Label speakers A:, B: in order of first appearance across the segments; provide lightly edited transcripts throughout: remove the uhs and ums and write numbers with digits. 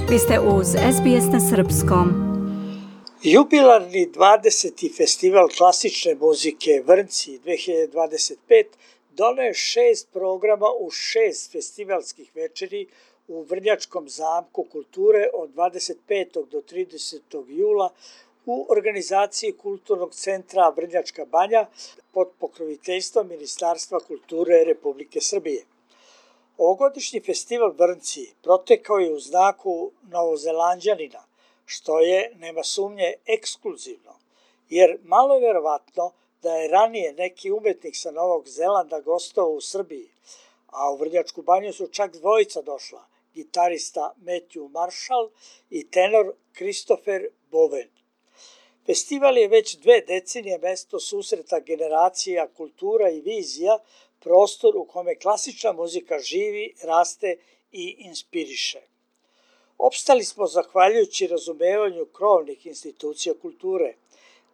A: Vi ste uz SBS na srpskom.
B: Jubilarni 20. festival klasične muzike Vrnci 2025 doneo je 6 programa u 6 festivalskih večeri u Vrnjačkom zamku kulture od 25. do 30. jula u organizaciji Kulturnog centra Vrnjačka banja pod pokroviteljstvom Ministarstva kulture Republike Srbije. Ovogodišnji festival Vrnci protekao je u znaku Novozelanđanina, što je, nema sumnje, ekskluzivno, jer malo je verovatno da je ranije neki umetnik sa Novog Zelanda gostovao u Srbiji, a u Vrnjačku banju su čak dvojica došla, gitarista Matthew Marshall i tenor Christopher Bowen. Festival je već 2 decenije mesto susreta generacija, kultura i vizija, prostor u kome klasična muzika živi, raste i inspiriše. Opstali smo zahvaljujući razumevanju krovnih institucija kulture,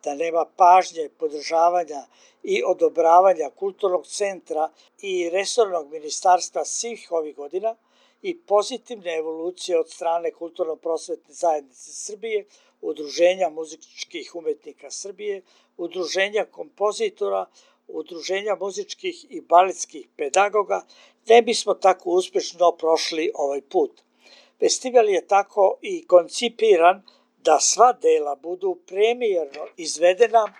B: da nema pažnje, podržavanja i odobravanja Kulturnog centra i resornog ministarstva svih ovih godina i pozitivne evolucije od strane Kulturno-prosvetne zajednice Srbije, Udruženja muzičkih umetnika Srbije, Udruženja kompozitora, Udruženja muzičkih i baletskih pedagoga, ne bismo tako uspešno prošli ovaj put. Festival je tako i koncipiran da sva dela budu premijerno izvedena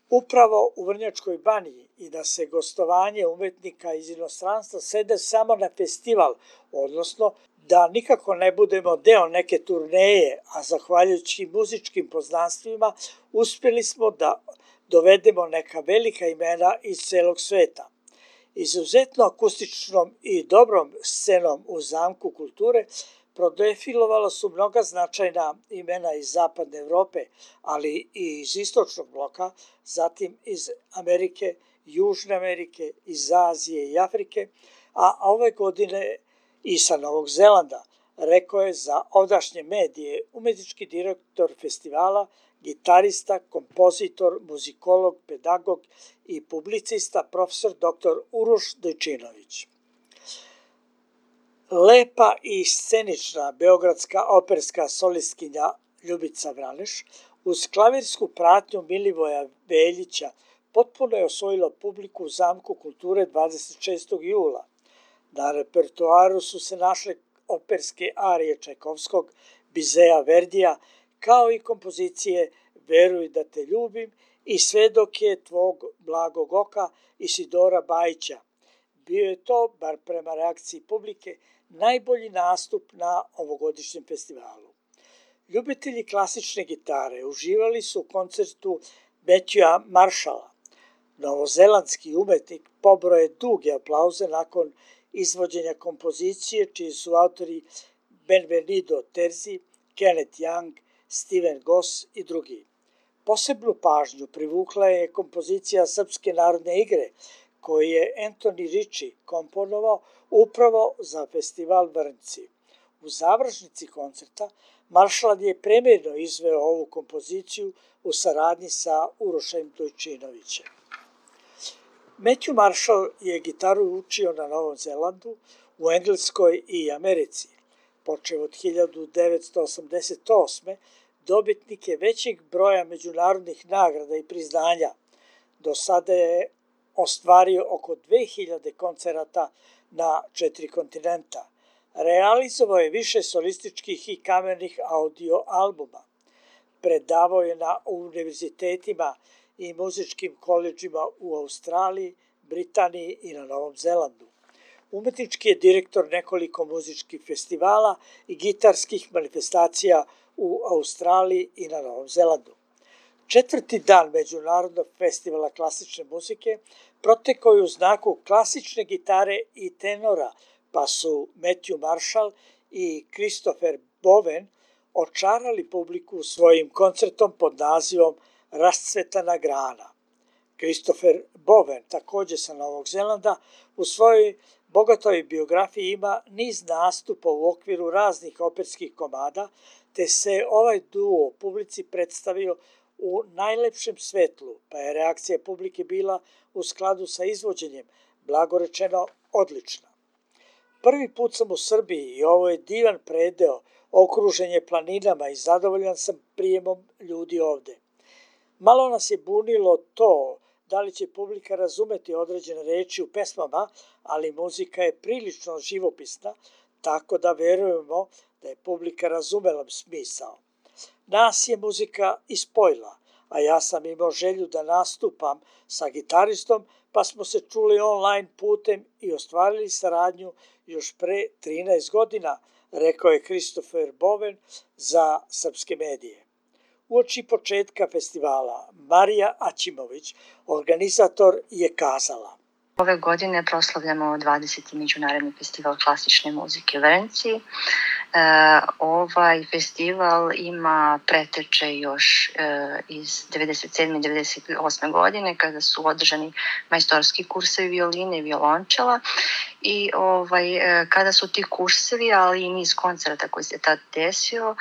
B: upravo u Vrnjačkoj banji i da se gostovanje umetnika iz inostranstva svede samo na festival, odnosno da nikako ne budemo deo neke turneje, a zahvaljujući muzičkim poznanstvima uspjeli smo da dovedemo neka velika imena iz celog sveta. Izuzetno akustičnom i dobrom scenom u Zamku kulture prodefilovala su mnoga značajna imena iz Zapadne Evrope, ali i iz Istočnog bloka, zatim iz Amerike, Južne Amerike, iz Azije i Afrike, a ove godine i sa Novog Zelanda, rekao je za ovdašnje medije umetnički direktor festivala, gitarista, kompozitor, muzikolog, pedagog i publicista profesor dr. Uroš Dojčinović. Lepa i scenična beogradska operska solistkinja Ljubica Vraneš uz klavirsku pratnju Milivoja Veljića potpuno je osvojila publiku u Zamku kulture 26. jula. Na repertoaru su se našle operske arije Čajkovskog, Bizeja Verdija, kao i kompozicije Veruj da te ljubim i Sve dok je tvog blagog oka Isidora Bajića. Bio je to, bar prema reakciji publike, najbolji nastup na ovogodišnjem festivalu. Ljubitelji klasične gitare uživali su u koncertu Matthewa Marshalla. Novozelandski umetnik pobroje duge aplauze nakon izvođenja kompozicije, čiji su autori Benvenido Terzi, Kenneth Young, Steven Goss i drugi. Posebnu pažnju privukla je kompozicija Srpske narodne igre, koju je Anthony Ritchie komponovao upravo za festival Vrnci. U završnici koncerta Marshall je premijerno izveo ovu kompoziciju u saradnji sa Urošem Dojčinovićem. Matthew Marshall je gitaru učio na Novom Zelandu, u Engleskoj i Americi. Počev od 1988. dobitnik je većeg broja međunarodnih nagrada i priznanja. Do sada je ostvario oko 2000 koncerata na 4 kontinenta. Realizovao je više solističkih i kamernih audio albuma. Predavao je na univerzitetima i muzičkim koledžima u Australiji, Britaniji i na Novom Zelandu. Umetnički je direktor nekoliko muzičkih festivala i gitarskih manifestacija u Australiji i na Novom Zelandu. 4. dan Međunarodnog festivala klasične muzike protekao je u znaku klasične gitare i tenora, pa su Matthew Marshall i Christopher Bowen očarali publiku svojim koncertom pod nazivom Rascvetana grana. Christopher Bowen, također sa Novog Zelanda, u svojoj bogatoj biografiji ima niz nastupa u okviru raznih operskih komada, te se ovaj duo publici predstavio u najlepšem svetlu, pa je reakcija publike bila u skladu sa izvođenjem, blagorečeno odlična. Prvi put sam u Srbiji i ovo je divan predeo Okružen je planinama i zadovoljan sam prijemom ljudi ovde. Malo nas je bunilo to da li će publika razumeti određene reči u pesmama, ali muzika je prilično živopisna, tako da verujemo da je publika razumela smisao. Nas je muzika ispojila, a ja sam imao želju da nastupam sa gitaristom, pa smo se čuli online putem i ostvarili saradnju još pre 13 godina, rekao je Christopher Bowen za Srpske medije. Uoči početka festivala Marija Aćimović, organizator, je kazala:
C: Ove godine proslavljamo 20. međunarodni festival klasične muzike u Vrnjci. Ovaj festival ima preteče još iz 97. i 98. godine kada su održani majstorski kursevi violine i violončela i kada su ti kursevi, ali i niz koncerta koji se tad desio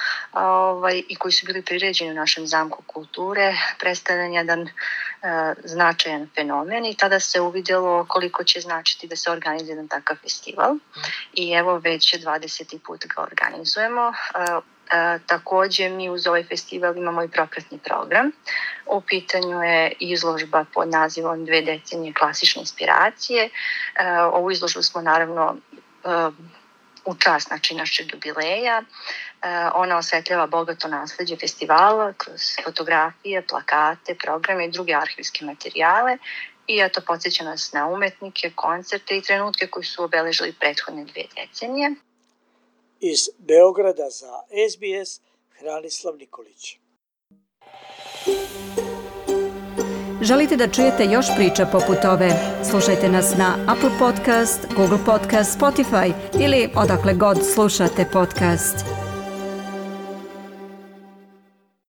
C: i koji su bili priređeni u našem zamku kulture, predstavljen jedan značajan fenomen i tada se uvidjelo koliko će značiti da se organizuje jedan takav festival i evo već 20. put ga organizujemo. Također mi uz ovaj festival imamo i propratni program. U pitanju je izložba pod nazivom 2 decenije klasične inspiracije. Ovu izložbu smo naravno u čast našeg jubileja. Ona osvetljava bogato nasleđe festivala kroz fotografije, plakate, programe i druge arhivske materijale i eto podsjeća nas na umetnike, koncerte i trenutke koji su obeležili prethodne 2 decenije.
B: Iz Beograda za SBS, Hranislav Nikolić.
A: Želite da čujete još priča poput ove? Slušajte nas na Apple Podcast, Google Podcast, Spotify ili odakle god slušate podcast.